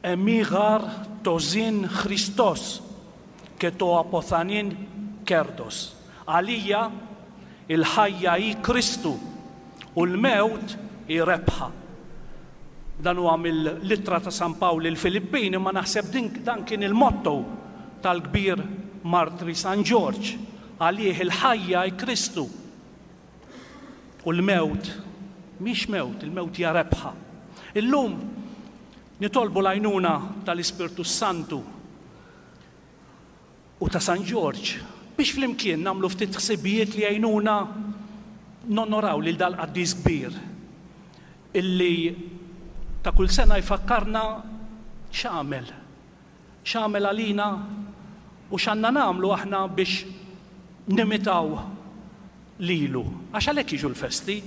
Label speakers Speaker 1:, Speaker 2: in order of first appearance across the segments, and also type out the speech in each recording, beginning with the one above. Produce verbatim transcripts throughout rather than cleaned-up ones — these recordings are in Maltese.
Speaker 1: Εμεί γαρ το ζήν Χριστός και το αποθανήν κέρδος. Għalija il-ħajja hi Kristu u l-mewt hi rebħa. Dan huwa mill-ittra ta' San Pawl il-Filippini, ma naħseb din dan kien il-motto tal-kbir martri San Ġorġ. Għalih il-ħajja hi Kristu u l-mewt mhix mewt, il-mewt hija rebħa. Illum nitolbu l-għajnuna tal-Ispirtu Santu u ta' San Ġorġ biex flimkien nagħmlu ftit ħsibijiet li jgħinuna nonoraw lil dal-qaddis kbir illi ta' kull sena jfakkarna x'għamel, x'għamel għalina u x'għandna nagħmlu aħna biex nimitaw lilu. Għax għalhekk jiġu l-festi,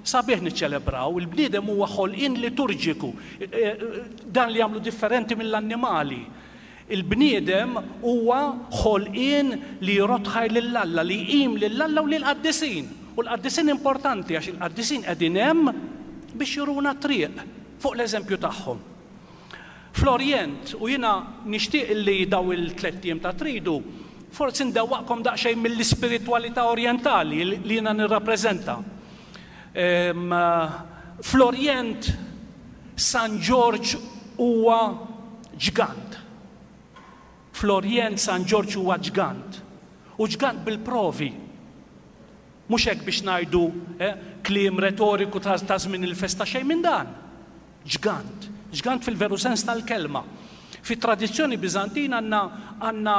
Speaker 1: sabiħ niċċelebraw, il-bniedem huwa ħolqien liturġiku, dan li jagħmlu differenti mill-annimali. Il-bniedem huwa ħolqien li jrodd ħajr lil Alla, li jqim lil Alla u lill-qaddisin. U l-qaddisin importanti għax il-qaddisin qegħdin hemm biex juruna triq fuq l-eżempju tagħhom. Fl-Orjent, u jiena nixtieq li daw il-tlett ijiem ta' tridu, forsi ndewwaqkom daqsxejn mill-ispiritwalità orjentali li jiena nirrappreżenta. Fl-Orjent, San Ġorġ huwa ġgant. Fl-Orjent San Ġorġ huwa ġgant. U ġgant bil-provi. Mhux hekk biex ngħidu eh, kliem retoriku ta' żmien il-festa, xejn minn dan. Ġgant. Ġgant fil-veru sens tal-kelma. Fit-tradizzjoni Biżantina għandna għandna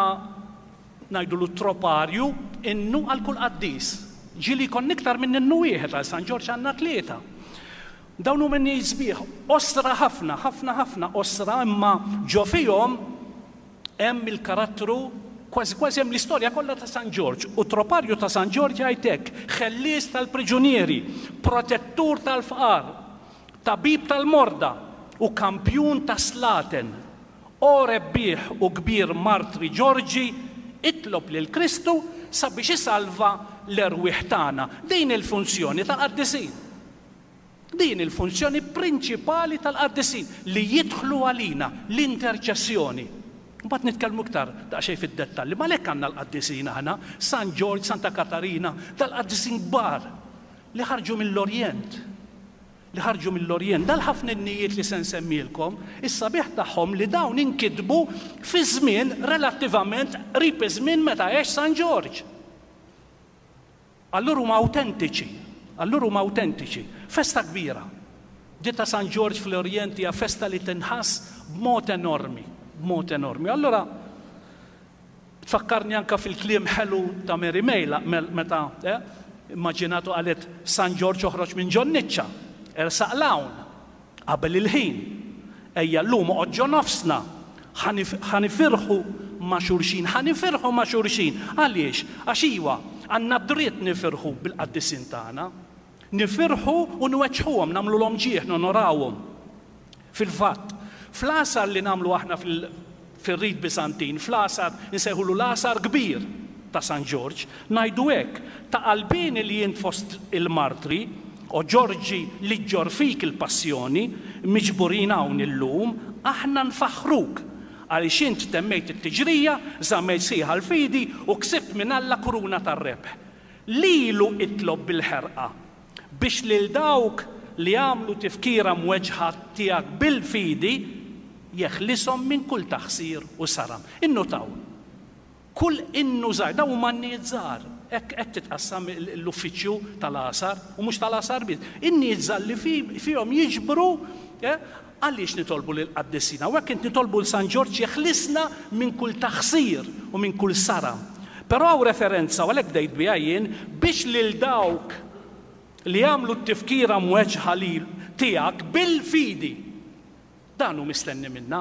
Speaker 1: ngħidu troparju, innu għal kull qaddis. Ġieli jkun iktar minn innu wieħed, għal San Ġorġ għandna tlieta. Dawn huma sbieħ, qosra ħafna, ħafna ħafna qosra, imma ġo fihom hemm il-karattru, kważi kważi hemm l-istorja kollha ta' San Ġorġ. U troparju ta' San Ġorġ jgħid hekk: ħellies tal-priġunieri, protettur tal-fqar, tabib tal-morda u kampjun ta' slaten. O rebbieħ u kbir martri Ġorġi, itlob lil Kristu sabiex isalva l-erwieħ tagħna. Din il-funzjoni tal-qaddisin. Din il-funzjoni prinċipali tal-qaddisin, li jidħlu għalina, l-interċessjoni. Mbagħad nitkellmu iktar daqsxejn fid-dettalji, ma lek għandna l-qaddisin aħna, San Ġorġ, Santa Katarina, tal-qaddisin kbar li ħarġu mill-Orjent. Li ħarġu mill-Orjent. Dal-ħafna innijiet li se nsemmilkom, is-sabiħ tagħhom li dawn inkitbu fi żmien relattivament qrib iż-żmien meta għex San Ġorġ. Allura huma awtentiċi. Allura huma awtentiċi. Festa kbira. Di ta' San Ġorġ fl-Orjent hija festa li tinħass b'mod enormi, b'mod enormi. Allura tfakkarni anka fil-kliem ħelu ta' Mary May meta eh, immaġinatu qalet San Ġorġ oħroġ minn ġon-niċċa, ersaq l-hawn qabel il-ħin. Ejja llum oqgħod ġo nofsna, ħanifirħu ma' xulxin, ħanifirħu ma' xulxin. Għaliex? Għax iwa, għandna dritt nifirħu bil-qaddisin tagħna. Nifirħu u nweġġħuhom, nagħmluhom ġieħ, nonorawhom. Fil-fatt, fl-għasar li nagħmlu aħna fil-rit Biżantin, fl-għasar insejħulu l-għasar kbir ta' San Ġorġ, ngħidu hekk: ta' qalbini li jint fost il-martri, o Ġorġi li ġġor fik il-passjoni, miġburin hawn illum, aħna nfaħħruk għaliex int temmejt it-tiġrija, żammejt sħiħa l-fidi u ksibt minn Alla kuruna tar-rebħ. Lilu itlob bil-ħerqa biex lil dawk li għamlu tifkira mweġħa tiegħek bil-fidi jeħlishom minn kull taħsir u saram. Innutaw, kull innu żgħir, dawn huma innijiet żgħar, hekk hekk titqassam l-uffiċċju tal-għasar, u mhux tal-għasar biss. Innijiet żgħar li fihom jiġbru, għaliex nitolbu lil qaddisina, u hekk int nitolbu l San Ġorġ jeħlisna minn kull taħsir u minn kull saram. Però hawn referenza, u għalhekk bdejt biha jien, biex lil dawk li għamlu t-tifkira mweġħa lil tiegħek bil-fidi. Dan hu mistenni minna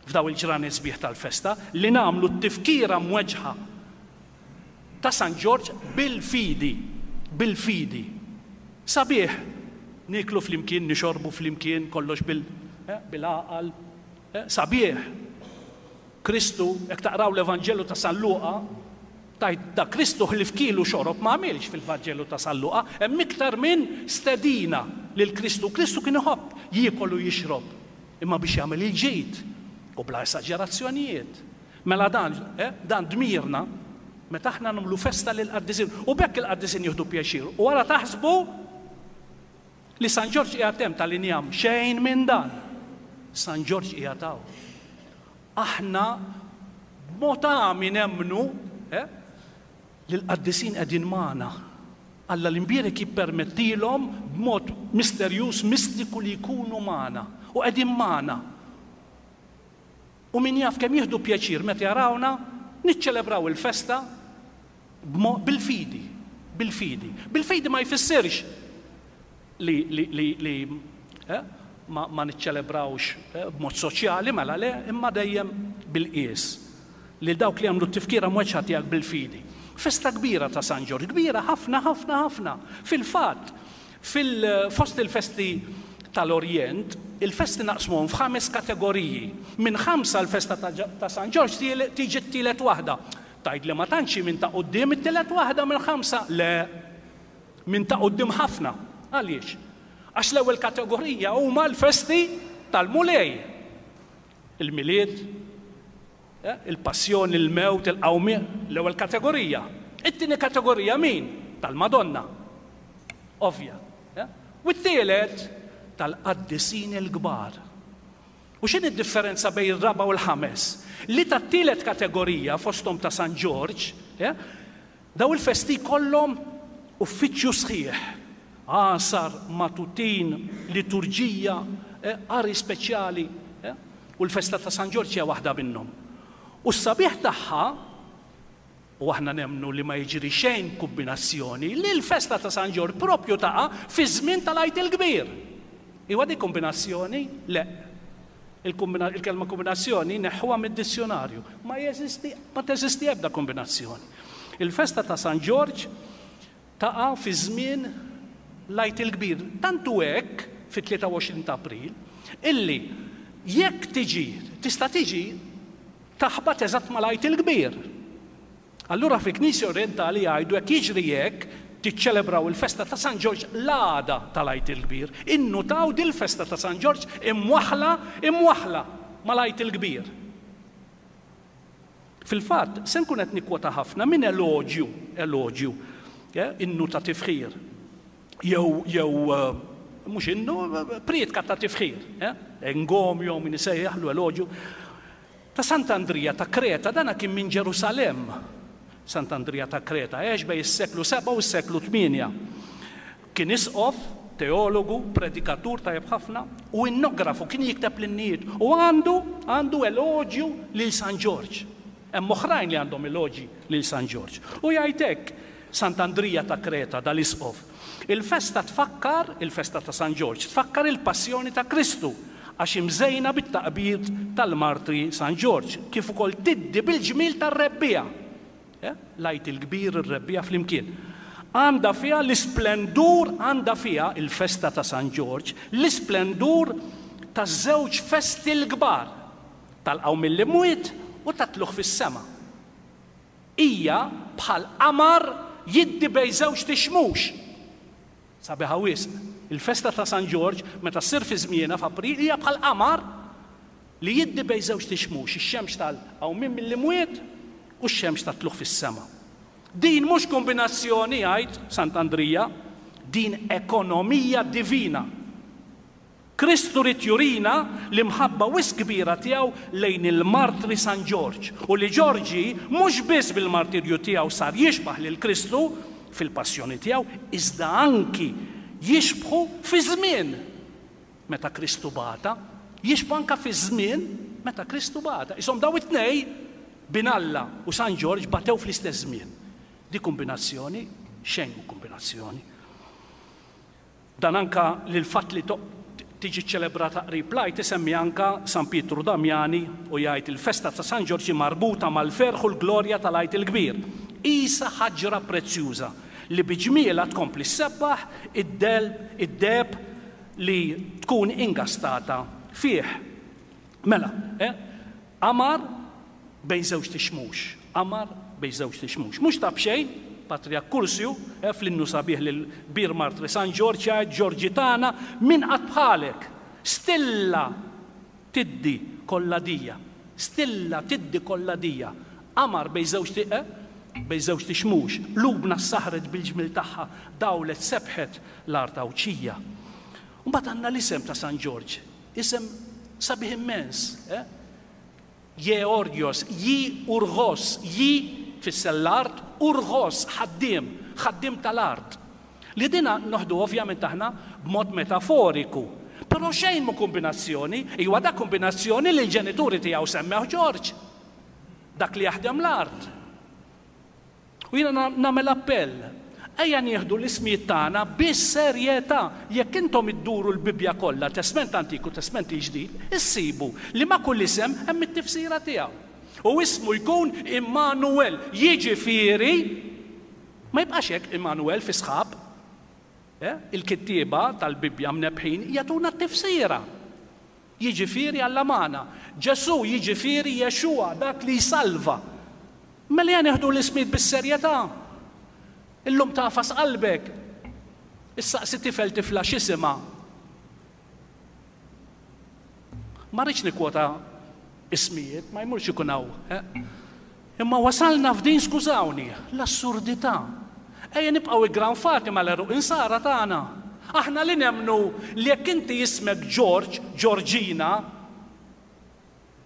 Speaker 1: f'daw il-ġranet sbieħ tal-festa, li nagħmlu t-tifkira mweġħa ta' San Ġorġ bil-fidi, bil-fidi. Sabiħ niklu flimkien, nixorbu flimkien, kollox bil, eh, bil-għaqal. Eh, sabiħ. Kristu, jekk taqraw l-Evanġelu ta' San Luqa, tajt da Kristu ħlif kielu xorob ma għamilx fil-Vanġelu ta' San Luqa, hemm iktar minn stedina lil Kristu. Kristu kien iħobb jiekol u jixrob. Imma biex jagħmel il-ġid u bla esaġerazzjonijiet. Mela dan, eh, dan dmirna meta aħna nagħmlu festa lill-qaddisin u b'hekk il-qaddisin jieħdu pjaċir. U wara taħsbu li San Ġorġ qiegħed hemm tal-injam, xejn minn dan. San Ġorġ qiegħed hawn. Aħna b'mod għami nemmnu eh, li l-qaddisin qegħdin magħna. Alla l-imbierek jippermettilhom b'mod misterjuż, mistiku li jkunu magħna u qegħdin magħna. U min jaf kemm jieħdu pjaċir meta jarawna niċċelebraw il-festa bil-fidi, bil-fidi. Bil-fidi ma jfissirx li, li, li, li eh, ma, ma niċċelebrawx eh, b'mod soċjali, mela le, imma dejjem bil-qies. Li dawk li għamlu t-tifkira mweġġa tiegħek bil-fidi. Festa kbira ta' San Ġorġ, kbira ħafna, ħafna, ħafna. Fil-fatt, fil-fost il-festi tal-Orjent, il-festi naqsmuhom f'ħames kategoriji. Minn ħamsa l-festa ta' San Ġorġ tiġi t-tielet waħda. Tgħid li ma tantx minn ta' quddiem it-tielet waħda minn ħamsa? Le, minn ta' quddiem ħafna. Għaliex? Għax l-ewwel kategorija huma l-festi tal-Mulej. Il-Milied, il-Passjoni, il-Mewt, il-Qawmien, l-ewwel kategorija. It-tieni kategorija min? Tal-Madonna. Ovvja. U t-tielet tal-qaddisin il-kbar. U x'inhi d-differenza bejn ir-raba' u l-ħames? Li tat-tielet kategorija fosthom ta' San Ġorġ, daw il-festi kollhom uffiċċju sħiħ. Għasar, matutin, liturġija, qari speċjali. U l-festa ta' San Ġorġ hija waħda minnhom. U s-sabiħ tagħha, u aħna nemmnu li ma jiġri xejn kombinazzjoni, li l-festa ta' San Ġorġ propju taqa' fi żmien tal-Għid il-Kbir. Iwa di kombinazzjoni? Le. Il-kelma kombinazzjoni neħħuha mid-dizzjonarju. Ma jeżisti, ma teżisti ebda kombinazzjoni. Il-festa ta' San Ġorġ taqa' fi żmien l-Għid il-Kbir. Tantu hekk fit-tlieta u għoxrin ta' April, illi jekk tiġi, tista' tiġi taħbat eżatt mal-Għid il-Kbir. Allura fi Knisja Orientali jgħidu jekk jiġri hekk tiċċelebraw il-festa ta' San Ġorġ l-għada tal-Għid il-Kbir. Innutaw dil-festa ta' San Ġorġ imwaħla, imwaħla mal-Għid il-Kbir. Fil-fatt, se nkun qed nikkwota ħafna minn eloġju, eloġju, innu ta' tifħir. Jew, jew mhux innu, prietka ta' tifħir, engomio min isejjaħlu eloġju. Ta' Sant'Andrija ta' Kreta, dana kien minn Ġerusalemm. Sant'Andrija ta' Kreta għex bejn is-seklu seba' u s-seklu tmienja. Kien isqof, teologu, predikatur tajjeb ħafna u innografu, kien jikteb l-innijiet u għandu, għandu eloġju lil San Ġorġ. Hemm oħrajn li għandhom eloġji lil San Ġorġ. U jgħid hekk Sant'Andrija ta' Kreta, dal-isqof. Il-festa tfakkar, il-festa ta' San Ġorġ, tfakkar il-passjoni ta' Kristu għax imżejna bit-taqbid tal-martri San Ġorġ, kif ukoll tiddi bil-ġmil tar-rebbija. L-Għid il-Kbir, ir-rebbija flimkien. Għandha fiha l-isplendur, għandha fiha il-festa ta' San Ġorġ, l-isplendur taż-żewġ festi l-kbar, tal-qawmien mill-imwiet u tat-tluq fis-sema. Hija bħal qamar jiddi bejn żewġ tixmux. Sabiħa wisq. Il-festa ta' San Ġorġ meta ssir fi żmienha f'April hija bħal qamar li jiddi bejn żewġ tixmux, ix-xemx tal-qawmien mill-imwiet u x-xemx tat-tluq fis-sema. Din mhux kombinazzjoni, jgħid Sant'Andrija, din ekonomija divina. Kristu rid jurina l-imħabba wisq kbira tiegħu lejn il-martri San Ġorġ u li Ġorġi mhux biss bil-martirju tiegħu sar jixbaħ lil Kristu fil-passjoni tiegħu, iżda anki jixbħu fi żmien meta Kristu bata, jixbħu anka fi żmien meta Kristu bata. Isom daw it-tnej, bin Alla u San Ġorġ, batew fl-istess żmien. Di kombinazzjoni, xejn mhu kombinazzjoni. Dan anka l-fatt li tiġi ċelebrata qrib l-Għid isemmi anka San Pietru Damiani u jgħid il-festa ta' San Ġorġ marbuta mal-ferħ u l-glorja tal-Għid il-Kbir. Isa ħaġra prezzjuża li biġmiela tkompli ssebbaħ id-deheb li tkun ingastata fih. Mela, eh? Qamar bejn żewġ tixmux, qamar bejn żewġ tixmux. Mhux ta' b'xejn, Patriark Kursju, eh, fl-innu sabiħ lil kbir martri San Ġorġ jgħid Ġorġi tagħna min qatt bħalek, stilla Tiddi kollha dija. Stilla tiddi kollha dija. Qamar bejn żewġ eh? bejn żewġ xmux. Qlubna saħret bil-ġmil tagħha, dawlet sebħet l-art Għawdxija. Mbagħad għandna l-isem ta' San Ġorġ, isem sabiħ immens. Eh? Georgios, ji urgos, ji tfisser l-art, urgos, ħaddiem, ħaddiem tal-art. Li dina noħdu ovvjament aħna b'mod metaforiku. Però xejn mu kombinazzjoni, iwa da kombinazzjoni li l-ġenituri tiegħu semmew Ġorġ. Dak li jaħdem l-art. U jiena nagħmel appell. Ejja nieħdu l-ismijiet tagħna bis-serjetà. Jekk intom idduru l-Bibbja kollha, Testment Antik u Testment il-Ġdid, issibu li ma' kull isem hemm it-tifsira tiegħu. U ismu jkun Immanuel, jiġifieri ma jibqax hekk Immanuel fi sħab. Eh? Il-kittieba tal-Bibbja mnebħin jagħtuna t-tifsira. Jiġifieri Alla magħna. Ġesù jiġifieri Jexua, dak li jsalva. Mela ejja nieħdu l-ismijiet bis-serjetà. Illum tafas qalbek. Issaqsi tifel tifla x'isimha. Ma rridx nikkwota ismijiet, ma jmurx ikun hawn. Eh? Imma wasalna f'din, skużawni, l-assurdità. Ejja nibqgħu iggranfati mal-għeruq insara tagħna. Aħna li nemmnu li jekk inti ismek Ġorġ, Ġorġina,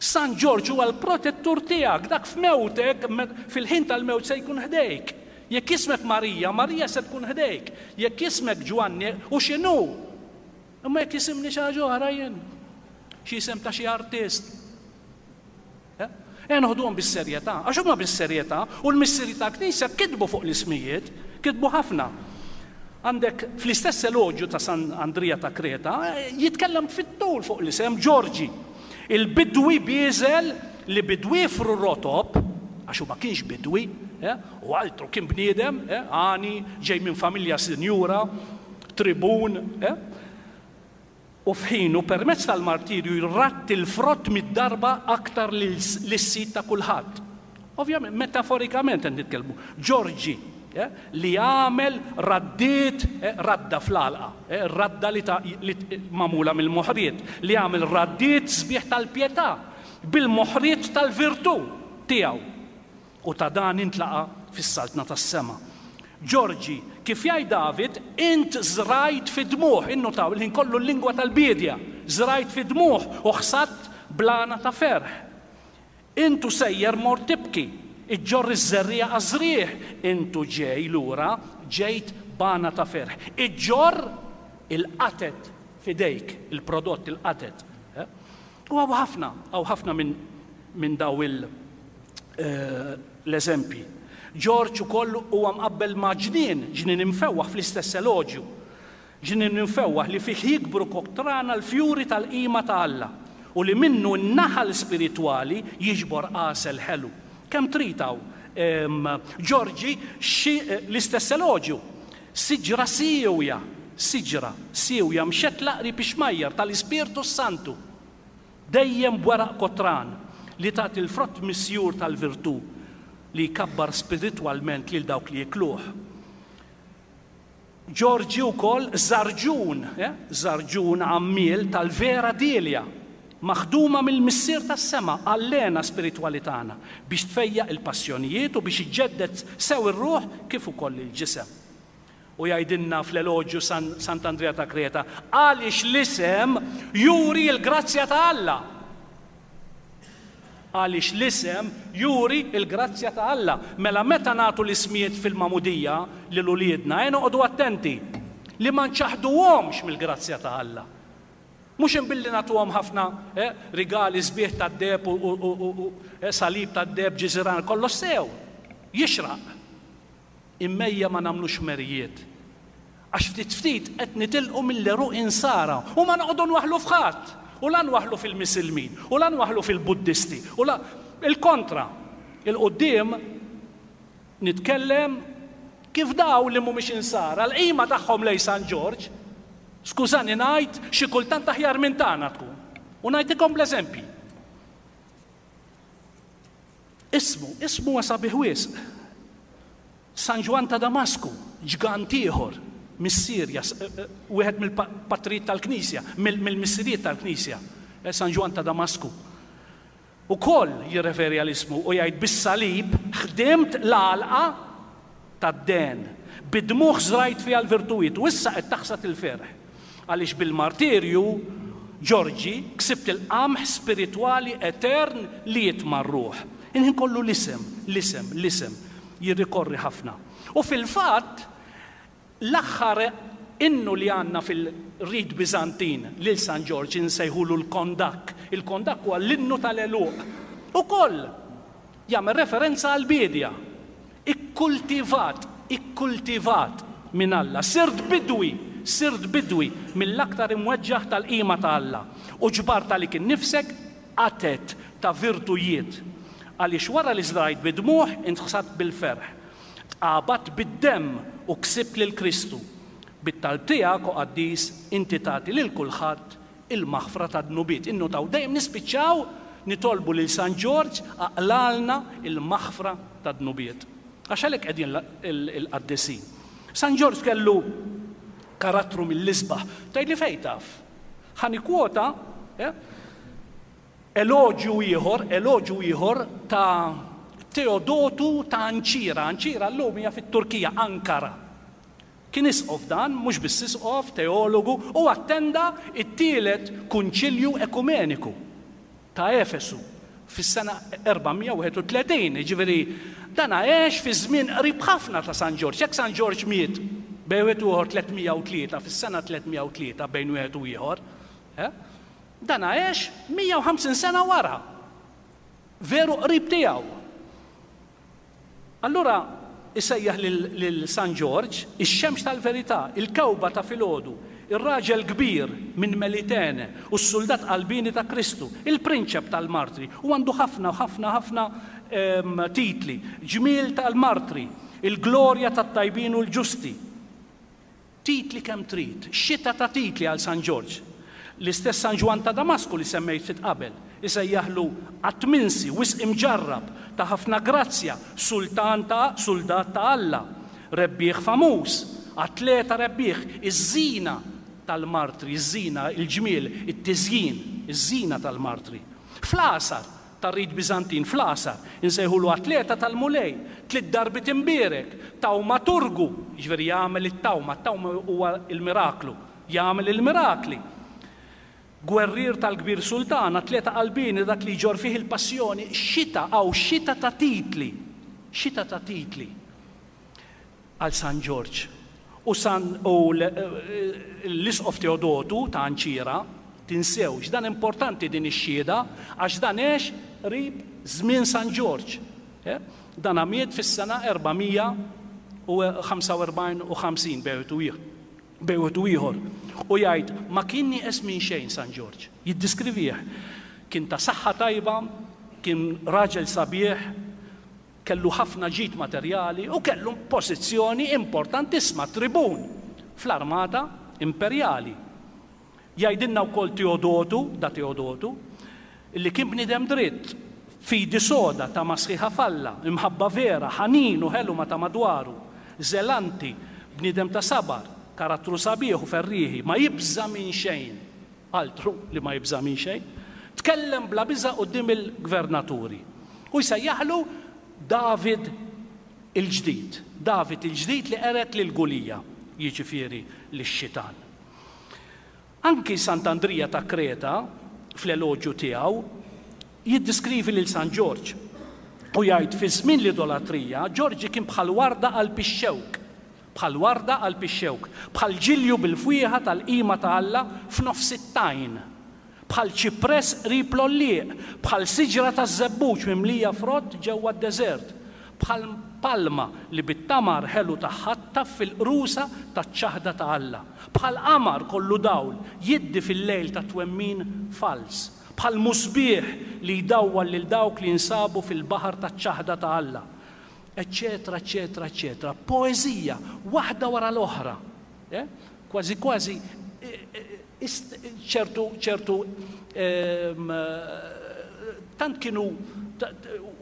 Speaker 1: San Ġorġ huwa l-protettur tiegħek, dak f'mewtek, fil-ħin tal-mewt se jkun ħdejk. Jekk ismek Marija, Marija se tkun ħdejk. Jekk ismek Ġwanni, u x'inhu? Imma jekk isimni xi ħaġa oħra jien, xi isem ta' xi artist. Ejja noħduhom bis-serjetà, għax huma bis-serjetà u l-missieri tal-Knisja kitbu fuq l-ismijiet, kitbu ħafna. Għandek fl-istess eloġju ta' San Andrija ta' Kreta, jitkellem fit-tul fuq l-isem Ġorġi. Il-bidwi bieżel li bidwifru rotob, għax hu ma kienx bidwi, eh, u altru kien bniedem, eh, għani, ġej minn familja sinjura, tribun, eh, u f'ħinu permezz tal-martirju jratti l-frott mid-darba aktar lis-sid ta' kulħadd. Ovvjament, metaforikament qed nitkellmu. Ġorġi, eh, li għamel raddiet, eh, radda fl-għalqa, eh, radda li, ta, li magħmula mill-moħriet, li għamel raddiet sbieħ tal-pietà bil-moħriet tal-virtù tiegħu. U ta' dan intlaqa fis-saltna tas-sema. Ġorġi, kif jgħid David, int żrajt fi dmuħ, innutaw il-ħin kollu l-lingwa tal-biedja, żrajt fi dmuħ u ħsadt blana ta' ferħ. Intu sejjer mor tibki, iġġorr iż-żerriegħa għaż-żrieħ, intu ġej lura, ġejt bana ta' ferħ. Iġġorr il-qatet fidejk, il-prodott il-qatet. U hawn ħafna, hawn ħafna minn min daw il- l-eżempji. Ġorġ ukoll huwa mqabbel ma' ġnien, ġnien imfewwaħ fl-istess eloġju. Ġnien imfewwaħ li fih jikbru kotrana l-fjuri tal-qima ta' Alla u li minnu n-naħal spiritwali jiġbor għasel ħelu. Kemm trid hawn? Ġorġi l-istess eloġju. Siġra siewja, siġra siewja mxetla qrib ix-xmajjar tal-Ispirtu Santu, dejjem b'weraq kotran li tagħti l-frott misjur tal-virtù li jkabbar spiritwalment lil dawk li jikluh. Ġorġi wkoll żarġun, eh? żarġun għammiel tal-vera dilja, maħduma mill-Missier tas-sema għall-għena spiritwali tagħna biex tfejjaq il-passjonijiet u biex iġġedded sew ir-ruħ kif ukoll il-ġisem. U jgħidilna fl-eloġju Sant'Andrea ta' Kreta, għaliex l-isem juri l-grazzja ta' Alla. Għaliex l-isem juri l-grazzja ta' Alla. Mela meta nagħtu l-ismijiet fil-magħmudija lil uliedna, ejja noqogħdu attenti li ma nċaħduhomx mill-grazzja ta' Alla. Mhux imbilli nagħtuhom ħafna eh, rigali sbieħ tad-deheb u, u, u, u eh, salib tad-deheb, ġiżiran, kollox sew, jixraq. Immejja ma nagħmlux merijiet. Għax ftit ftit qed nitilqu mill-għeruq insara u ma noqogħdu nwaħħlu f'ħadd. U la nwaħħlu fil-Misilmin, u la nwaħħlu fil-Buddisti, u la il-kontra. Il-qudiem nitkellem kif daw li mhumiex insara, l-qima tagħhom lej San Ġorġ, skużani ngħid, xi kultant aħjar minn tagħna tkun. U ngħidilkom bl-eżempji. Ismu, ismu huwa sabiħ wisq. San Ġwann ta' Damasku, ġgant ieħor mis-Sirja, wieħed mill-patrijiet tal-Knisja, mill-missirijiet tal-Knisja. San Ġwann ta' Damasku. Ukoll jirreferi għal ismu u jgħid bis-salib ħdimt l-għalqa tad-den, bid-dmugħ żrajt fiha l-virtujiet u issa qed taħsad il-ferħ. Għaliex bil-martirju Ġorġi ksibt il-qamħ spiritwali etern li jitma' r-ruħ. Il-ħin kollu l-isem, l-isem, l-isem jirrikorri ħafna. U fil-fatt l-aħħar innu li għandna fil-rit Biżantin lil San Ġorġ insejħulu l-kondak. Il-kondak huwa l-innu tal-għeluq. Ukoll jagħmel referenza għall-biedja. Ikkultivat, ikkultivat minn Alla. Sirt bidwi, sirt bidwi mill-aktar imweġġaħ tal-qima ta' Alla. U ġbart għalik innifsek qatet ta' virtujiet. Għaliex wara li żrajt bid-dmugħ intħsadt bil-ferħ. Tqabadt bid-demm u ksibt lil Kristu. Bit-talb tiegħek, o qaddis, inti tagħti lil kulħadd il-maħfra ta' dnubiet. Innutaw dejjem nispiċċaw nitolbu lil San Ġorġ aqlalna il-maħfra ta' dnubiet. Għax għalhekk qegħdin il-qaddisin. San Ġorġ kellu karattru mill-isbaħ. Tgħidli fejn taf? Ħa nikkwota eloġju ieħor, eloġju ieħor ta' Teodotu ta' Anċira. Anċira llum hija fit-Turkija, Ankara. Kien isqof dan, mhux biss isqof, teologu, u attenda it-tielet kunċilju ekumeniku ta' Efesu fis-sena erba' mija wieħed u tletin, jiġifieri dan għex fi żmien qrib ħafna ta' San Ġorġ. Jekk San Ġorġ miet bejn wieħed u ieħor tliet mija u tlieta, fis-sena tliet mija u tlieta bejn wieħed u ieħor, eh, dan għex mija u ħamsin sena wara. Veru qrib tiegħu. Allura isejjaħ lil San Ġorġ ix-xemx tal-verità, il-kewba ta' filgħodu, ir-raġel kbir minn Melitene u s-soldat qalbini ta' Kristu, il-prinċep tal-martri, u għandu ħafna, ħafna, ħafna titli, ġmiel tal-martri, il-glorja tat-tajbin u l-ġusti. Titli kemm trid, xita ta' titli għal San Ġorġ. L-istess San Ġwann ta' Damasku li semmejt ftit qabel, isejjaħlu qatt minsi, wisq imġarrab, ta' ħafna grazzja, sultan ta' soldat ta' Alla, rebbieħ famuż, atleta rebbieħ, iż-żina tal-martri, iż-żina, il-ġmiel, it-tiżjin, iż-żina tal-martri. Fl-għasar tar-rit Biżantin, fl-għasar, insejħulu atleta tal-Mulej, tliet darbiet imbierek, tawmaturgu, jiġifieri jagħmel it-tawma, it-tawma huwa il-miraklu, jagħmel il-mirakli. Gwerrier tal-kbir sultan, atleta qalbini, dak li jġor fih il-passjoni, xita għaw xita ta' titli, xita ta' titli għal San Ġorġ. U San, u l-Isqof Teodotu ta' Anċira, tinsewx, dan importanti din ix-xhieda, għax dan għex qrib żmien San Ġorġ. Eh? Dan miet fis-sena erba' mija u ħamsa u erbgħin u ħamsin bejn wieħed u ieħor. U jgħid ma kien nieqes minn xejn San Ġorġ. Jiddiskrivih. Kien ta' saħħa tajba, kien raġel sabiħ, kellu ħafna ġid materjali u kellu pożizzjoni importantissima, tribun fl-armata imperjali. Jgħidilna wkoll Teodotu, da Teodotu, li kien bniedem dritt, fidi soda ta' masħiħa falla, imħabba vera, ħanin u ħelu ma ta' madwaru, zelanti, bniedem ta' sabar, karattru sabiħ u ferrieħi, ma jibża' minn xejn, altru li ma jibża' minn xejn, tkellem bla biża' quddiem il-gvernaturi. U jsejjaħlu David il-ġdid, David il-ġdid li qered lil Gulija, jiġifieri lix-xitan. Anki Sant'Andrija ta' Kreta, fl-eloġju tiegħu, jiddiskrivi lil San Ġorġ u jgħid fi żmien l-idolatrija, Ġorġi kien bħal warda qalb ix-xewk, bħal warda qalb ix-xewk, bħal ġilju bil-fwieħa tal-qima ta' Alla f'nofs it-tajn, bħal ċipress qrib l-għollieq, bħal siġra taż-żebbuġ mimlija frott ġewwa d-deżert, bħal palma li bit-tamar ħelu tagħha taffi l-qrusa taċ-ċaħda ta' Alla, bħal qamar kollu dawl jiddi fil-lejl ta' twemmin fals, bħal musbieħ li jdawwal lil dawk li jinsabu fil-baħar taċ-ċaħda ta' Alla, eccetera, eccetera, eccetera. Poeżija, waħda wara l-oħra. Eh? Kważi, kważi, ċertu, ċertu, ehm, tant kienu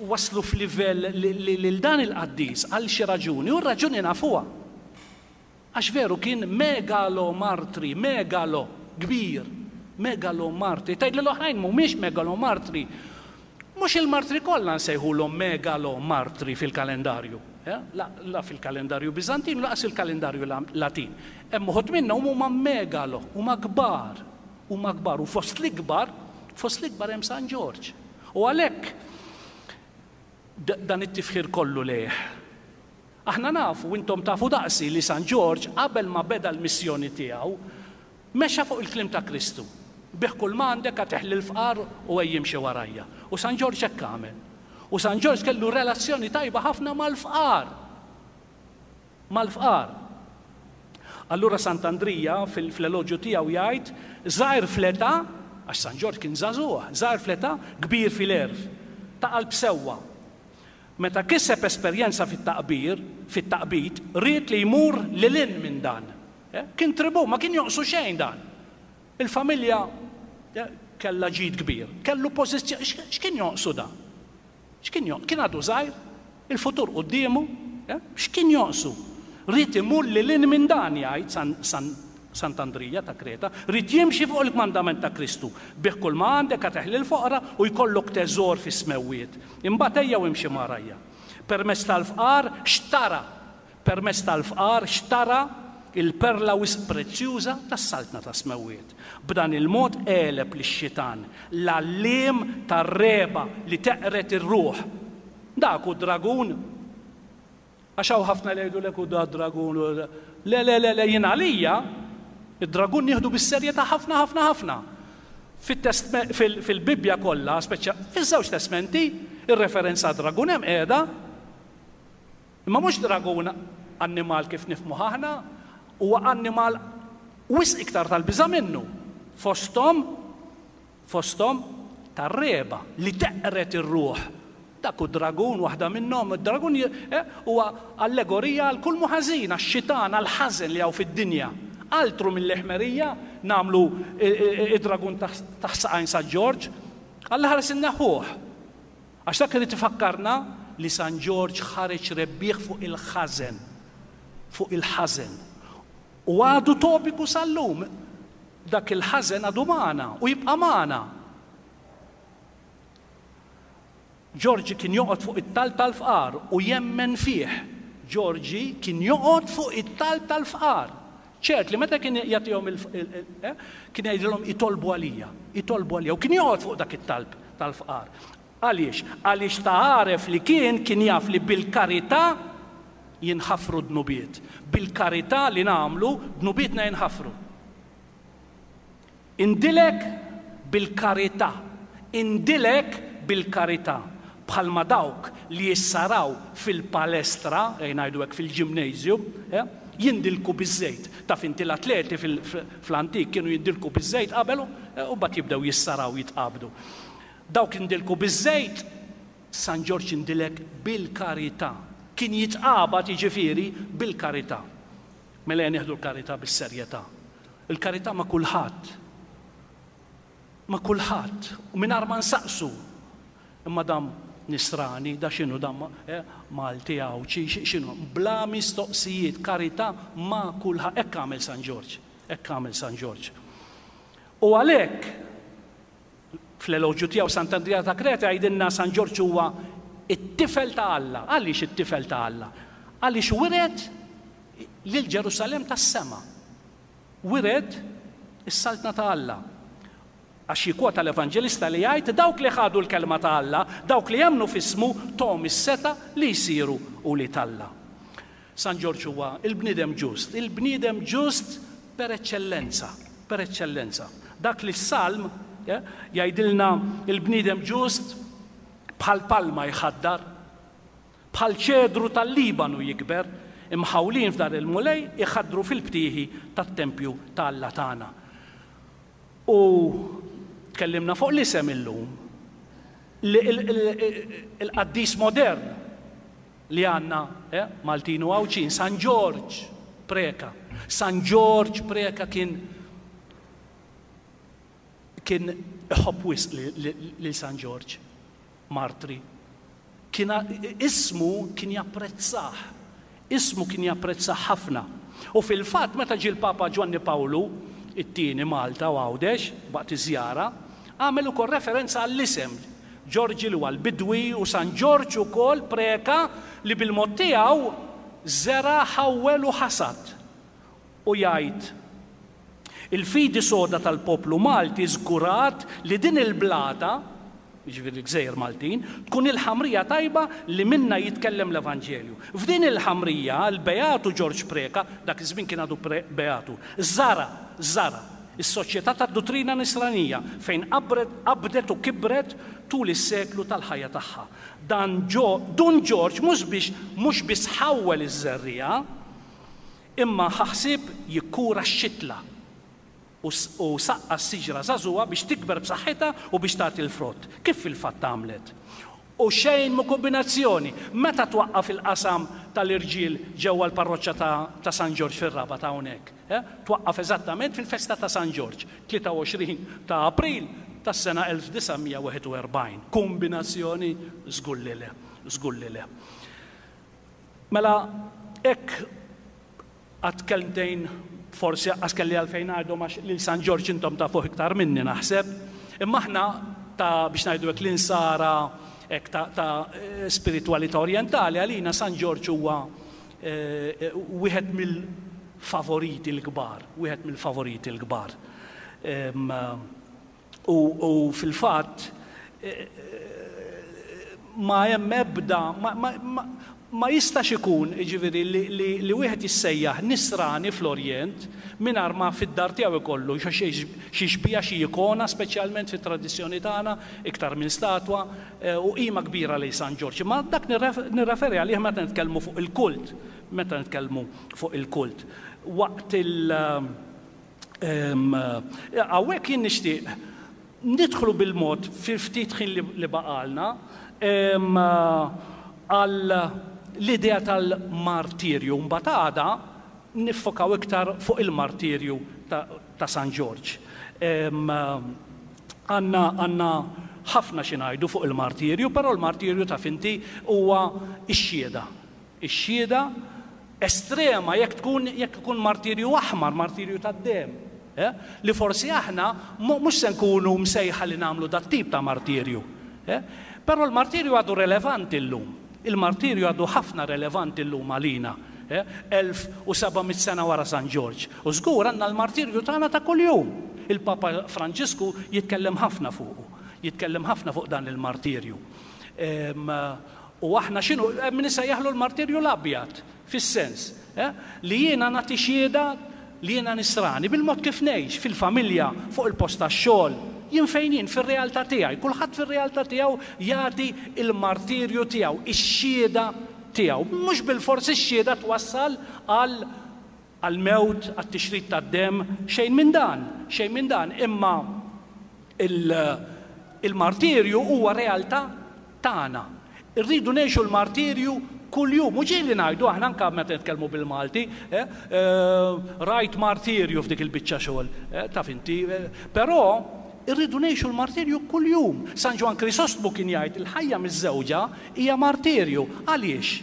Speaker 1: waslu f'livell lil dan il-qaddis għal xi raġuni, u r-raġuni nafuha. Għax veru kien megalomartri, megalo, kbir, Megalomartri. Tgħid li l-oħrajn mhumiex megalomartri. Mhux il-martri kollha nsejħulhom megalomartri fil-kalendarju. La, la fil-kalendarju Biżantin, laqas il-kalendarju Latin. Hemm uħud minnhom huma megalo, huma kbar, huma kbar u fost l-ikbar, fost l-ikbar hemm San Ġorġ. U għalhekk dan it-tifħir kollu lejh. Aħna nafu, intom tafu daqsi li San Ġorġ qabel ma beda l-missjoni tiegħu mexa fuq il-kliem ta' Kristu. Bih kull ma għandek agħtih lill-fqar u ejja imxi warajja. U San Ġorġ hekk għamel. U San Ġorġ kellu relazzjoni tajba ħafna mal-fqar. Mal-fqar. Allura Sant'Andrija fil-eloġju tiegħu jgħid żgħir fl-età, għax San Ġorġ kien żagħżugħ, żgħir fl-età, kbir fil-għerf, ta' qalb sewwa. Meta kiseb esperjenza fit-taqbir, fit-taqbid, ried li jmur lil hinn minn dan. Kien tribu, ma kien jonqsu xejn dan. Il-familja kellha ġid kbir, kellu pożizzjoni, x'kien jonqsu dan? X'kien jonqsu? Kien għadu żgħir, il-futur quddiemu, x'kien jonqsu? Ried imur lil hinn minn dan, jgħid Sant'Andrija ta' Kreta, ried jimxi fuq il-kmandament ta' Kristu. Bih kull ma għandek agħtih lill-foqra u jkollok teżor fis-smewwiet. Imbagħad ejja u imxi marajja. Permezz tal-fqar xtara, permezz tal-fqar xtara il-perla wisq prezzjuża tas-saltna tas-smewwiet. B'dan il-mod għeleb lix-xitan, l-għalliem tar-reba li teqret ir-ruħ. Dak hu dragun. Għax hawn ħafna li jgħidulek hu da dragun. Le, le, le, le, jien għalija id-dragun nieħdu bis-serjetà ħafna, ħafna, ħafna. Fil-Bibbja kollha, speċja fiż-żewġ testmenti, ir-referenza dragun hemm qiegħda. Imma mhux dragun annimal kif nifhmu aħna, huwa annimal wisq iktar tal-biża' minnu. Fosthom, fosthom tar-reba li teqret ir-ruħ. Dak hu dragun, waħda minnhom. Id-dragun huwa allegorija għal kull muħażin, għax-xitan, għall-ħażen li hawn fid-dinja. Altru mill-ħmerija nagħmlu id-dragun taħt saqajn San Ġorġ, Alla ħares inneħħuh. Għax dak irid ifakkarna li San Ġorġ ħareġ rebbieħ fuq il-ħażen, fuq il-ħażen. U għadu topiku sal-lum, dak il-ħażen għadu magħna u jibqa' magħna. Ġorġi kien joqgħod fuq it-talb tal-fqar u jemmen fih. Ġorġi kien joqgħod fuq it-talb tal-fqar. Ċert li meta kien jagħtihom kien jgħidilhom itolbu għalija, itolbu għalija, u kien joqgħod fuq dak it-talb tal-fqar. Għaliex? Għaliex ta' għaref li kien kien jaf li bil-karità jinħafru dnubiet. Bil-karità li nagħmlu dnubietna jinħafru. Indilek bil-karità, indilek bil-karità. Bħalma dawk li jissaraw fil-palestra, ngħidu hekk fil-ġimnasium, jindilku biż-żejt. Taf inti l-atleti fl-antik kienu jindilku biż-żejt qabel u mbagħad jibdew jissaraw jitqabdu. Dawk jindilku biż-żejt, San Ġorġ jindilek bil-karità. Kien jitqabad jiġifieri bil-karità. Mela nieħdu l-karità bis-serjetà. Il-karità ma' kulħadd. Ma' kulħadd. U mingħajr ma nsaqsu. Imma dam nisrani, da x'inhu dam Malti Għawdxi, x'inhu? Bla mistoqsijiet, karità ma' kulħadd. Hekk għamel San Ġorġ. Hekk għamel San Ġorġ. U għalhekk fl-eloġju tiegħu Sant'Andrija ta' Kreta jgħidilna San Ġorġ huwa it-tifel ta' Alla. Għaliex it-tifel ta' Alla? Għaliex wiret lil Ġerusalemm tas-sema. Wiret is-saltna ta' Alla. Għax jikwota l-Evanġelista li jgħid dawk li ħadu l-kelma ta' Alla, dawk li jemmnu f'ismu tom is-seta li jsiru ulied Alla. San Ġorġ huwa il-bniedem ġust, il-bniedem ġust per eċċellenza, per eċċellenza. Dak li s-Salm jgħidilna il-bniedem ġust bħal palma jħaddar, bħal ċedru tal-Libanu jikber, imħawlin f'dar il-Mulej iħaddru fil-btieħi tat-tempju ta' Alla tagħna. U tkellimna fuq l-isem illum, il-qaddis modern li għandna Maltin u Għawdxin, San Ġorġ Preka. San Ġorġ Preka kien kien iħobb wisq lil San Ġorġ martri. Kien ismu kien japprezzah, ismu kien japprezzah ħafna. U fil-fatt meta ġie l-Papa Ġwanni Pawlu it-tieni Malta u Għawdex waqt iż-żjara, għamel ukoll referenza għall-isem Ġorġi li huwa l-bidwi u San Ġorġ ukoll Preca li bil-mod tiegħu żera', ħawwel u ħasad. U jgħid, il-fidi soda tal-poplu Malti żgurat li din il-blata, jiġifieri l-Gżejjer Maltin, tkun il-ħamrija tajba li minnha jitkellem l-Evanġelju. F'din il-ħamrija, l-Beatu Ġorġ Preca, dak iż-żmien kien għadu Beatu, żara', żara', is-soċjetà tad-duttrina nisranija fejn qabdet u kibret tul is-seklu tal-ħajja tagħha. Dan Dun Ġorġ mhux biex mhux biss ħawwel iż-żerriegħa, imma ħa ħsieb jikkura x-xitla u saqqa s-siġra żagħżugħa biex tikber b'saħħitha u biex tagħti l-frott, kif fil-fatt għamlet. U xejn mhu kombinazzjoni. Meta twaqqaf il-qasam tal-irġiel ġewwa l-parroċċa ta' San Ġorġ fir-Rabat hawnhekk? Twaqqaf eżattament fil-festa ta' San Ġorġ, tlieta u għoxrin ta' April tas-sena elf disa' mija wieħed u erbgħin. Kombinazzjoni? Żgur li le, żgur li le. Mela hekk għad kelmtejn forsi aqqas kelli għalfejn ngħidhom għax lil San Ġorġ intom tafuh iktar minni naħseb. Imma aħna ta' biex ngħidu hekk l-insara hekk ta', ta spiritwalità orjentali, għalina San Ġorġ huwa wieħed mill-favoriti l-kbar, wieħed mill-favoriti l-kbar. U, u fil-fatt ma hemm ebda, ma, ma, ma, ma jistax ikun, jiġifieri, li, li, li wieħed jissejjaħ nisrani fl-Orjent mingħajr ma fid-dar tiegħu ikollu xi xbieha, xi ikona, speċjalment fit-tradizzjoni tagħna, iktar minn statwa, u qima kbira lejn San Ġorġ. Ma dak nirreferi għalih meta nitkellmu fuq il-kult, meta nitkellmu fuq il-kult. Waqt il, hawnhekk jien nixtieq nidħlu bil-mod fil-ftit ħin li baqalna għal l-idea tal-martirju. Mbagħad għada niffokaw iktar fuq il-martirju ta' San Ġorġ. Għandna, għandna ħafna xi ngħidu fuq il-martirju, però l-martirju ta' finti huwa x-xhieda. Ix-xhieda estrema jekk tkun, jekk ikun martirju aħmar, martirju tad-dem. Eh? Li forsi aħna mhux se nkunu msejħa li nagħmlu dat tip ta' martirju. Eh? Però l-martirju għadu relevanti llum. Il-martirju għadu ħafna relevanti llum għalina. Eh? elf u seba' mitt sena wara San Ġorġ. U żgur għandna l-martirju tagħna ta' kuljum. Il-Papa Franġisku jitkellem ħafna fuqu. Jitkellem ħafna fuq dan il-martirju. U aħna x'inhu, hemm min isejjaħlu l-martirju l-abjad, fis-sens, eh? Li jiena nagħti xhieda li jiena nisrani bil-mod kif ngħix fil-familja, fuq il-post tax-xogħol, jien fejn jien fir-realtà tiegħi, kulħadd fir-realtà tiegħu jagħti il-martirju tiegħu, ix-xhieda tiegħu. Mhux bilfors ix-xhieda twassal għal għall-mewt, għat-tixrid tad-demm, xejn minn dan, xejn minn dan, imma il-martirju huwa realtà tagħna. Irridu ngħixu l-martirju kuljum. U ġieli ngħidu aħna anke meta nitkellmu bil-Malti, eh, rajt martirju f'dik il-biċċa xogħol, eh, taf inti, eh, però irridu ngħixu l-martirju kuljum. San Ġwann Krisostmu kien jgħid il-ħajja miż-żewġa hija martirju. Għaliex?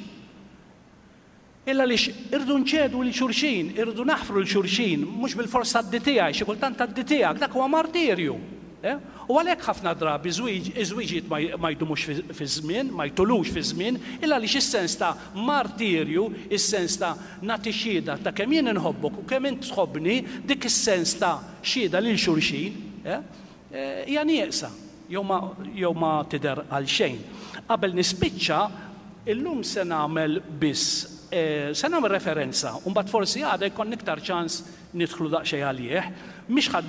Speaker 1: Illa għaliex irridu nċedu lil xulxin, irridu naħfru lil xulxin, mhux bil-fors tgħaddi tiegħi, xi kultant tgħaddi tiegħek, dak huwa martirju. Eh? U għalhekk ħafna drabi iż-żwiġijiet ma jdumux fi żmien, ma jtulux fi żmien, illa għaliex is-sens ta' martirju, is-sens ta' nagħti xhieda ta' kemm jien inħobbok u kemm int tħobbni, dik is-sens ta' xhieda lil xulxin, eh? Hija nieqsa, jew ma, jew ma tidher għal xejn. Qabel nispiċċa, illum se nagħmel biss, se nagħmel referenza, u mbagħad forsi għada jkollna iktar ċans nidħlu daqsxejn għalih, mhix ħadd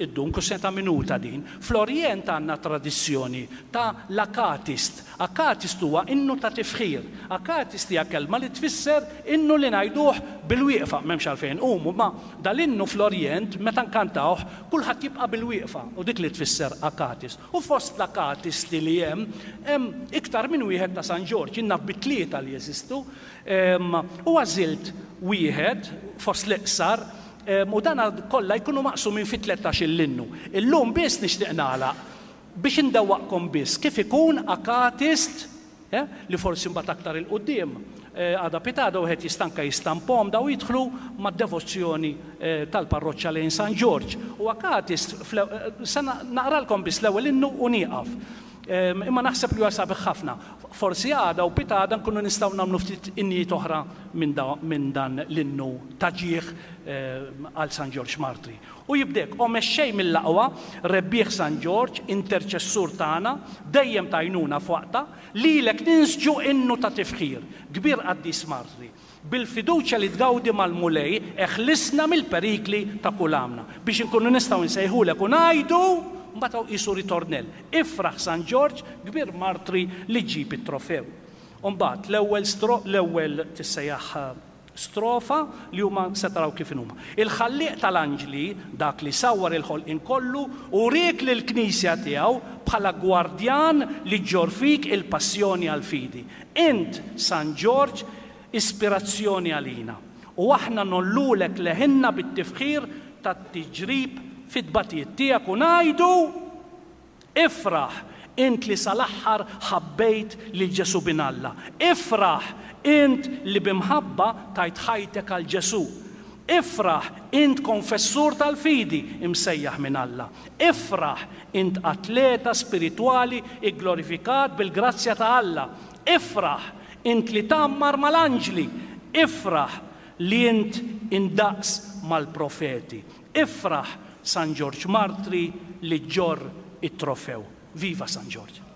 Speaker 1: iddum kwistjoni ta' minuta din. Fl-Orjent għandna tradizzjoni ta' l-akatist. Akatist huwa innu ta' tifħir. Akatist hija kelma li tfisser innu li ngħiduh bil-wieqfa, m'hemmx għalfejn qumu, ma dal-innu fl-Orjent meta nkantawh kulħadd jibqa' bil-wieqfa u dik li tfisser akatist. U fost l-akatisti li hemm, hemm iktar minn wieħed ta' San Ġorġ, jien naf bi tlieta li jeżistu, u għażilt wieħed fost l-iqsar, u dan kollha jkunu maqsumin fi tlettax-il innu. Illum biss nixtieq nagħlaq biex indewwaqkom biss kif ikun akatist, eh, li forsi mbagħad aktar il-quddiem Għada pitgħada wieħed jista' anke jistampahom daw jidħlu mad-devozzjoni tal-parroċċa lejn San Ġorġ. U Akatist, se naqralkom biss l-ewwel innu u nieqaf. Imma naħseb li huwa sabiħ ħafna. Forsi għada u pitgħada nkunu nistgħu nagħmlu ftit innijiet oħra minn dan l-innu ta' ġieħ għal San Ġorġ Martri. U jibdek, o mexxej mill-aqwa, rebbieħ San Ġorġ, interċessur tagħna, dejjem tajnuna f'waqta, lilek ninsġu innu ta' tifħir, kbir qaddis Martri. Bil-fiduċja li tgawdi mal-Mulej, eħlisna mill-perikli ta' kull għamna. Biex inkunu nistgħu nsejħulek u ngħidu, mbagħad hawn qisu ritornell. Ifraħ San Ġorġ, kbir Martri li ġġib it-trofew. U mbagħad l-ewwel l-ewwel tissejjaħ strofa li huma se taraw kif inhuma. Il-ħallieq tal-anġli, dak li sawwar il-ħolqien kollu, uriek lill-Knisja tiegħu bħala gwardjan li ġġorr fik il-passjoni għall-fidi. Int, San Ġorġ, ispirazzjoni għalina. U aħna ngħollulek leħinna bit-tifħir tat-tiġrib fit-tbatijiet tiegħek u ngħidu, ifraħ, int li sal-aħħar ħabbejt lil Ġesù bin Alla. Ifraħ, int li b'imħabba tajt ħajtek għal Ġesù. Ifraħ, int konfessur tal-fidi imsejjaħ minn Alla. Ifraħ, int atleta spiritwali igglorifikat bil-grazzja ta' Alla. Ifraħ, int li tgħammar mal-anġli. Ifraħ li int indaqs mal-profeti. Ifraħ, San Ġorġ Martri li ġġorr it-trofew. Viva San Ġorġ!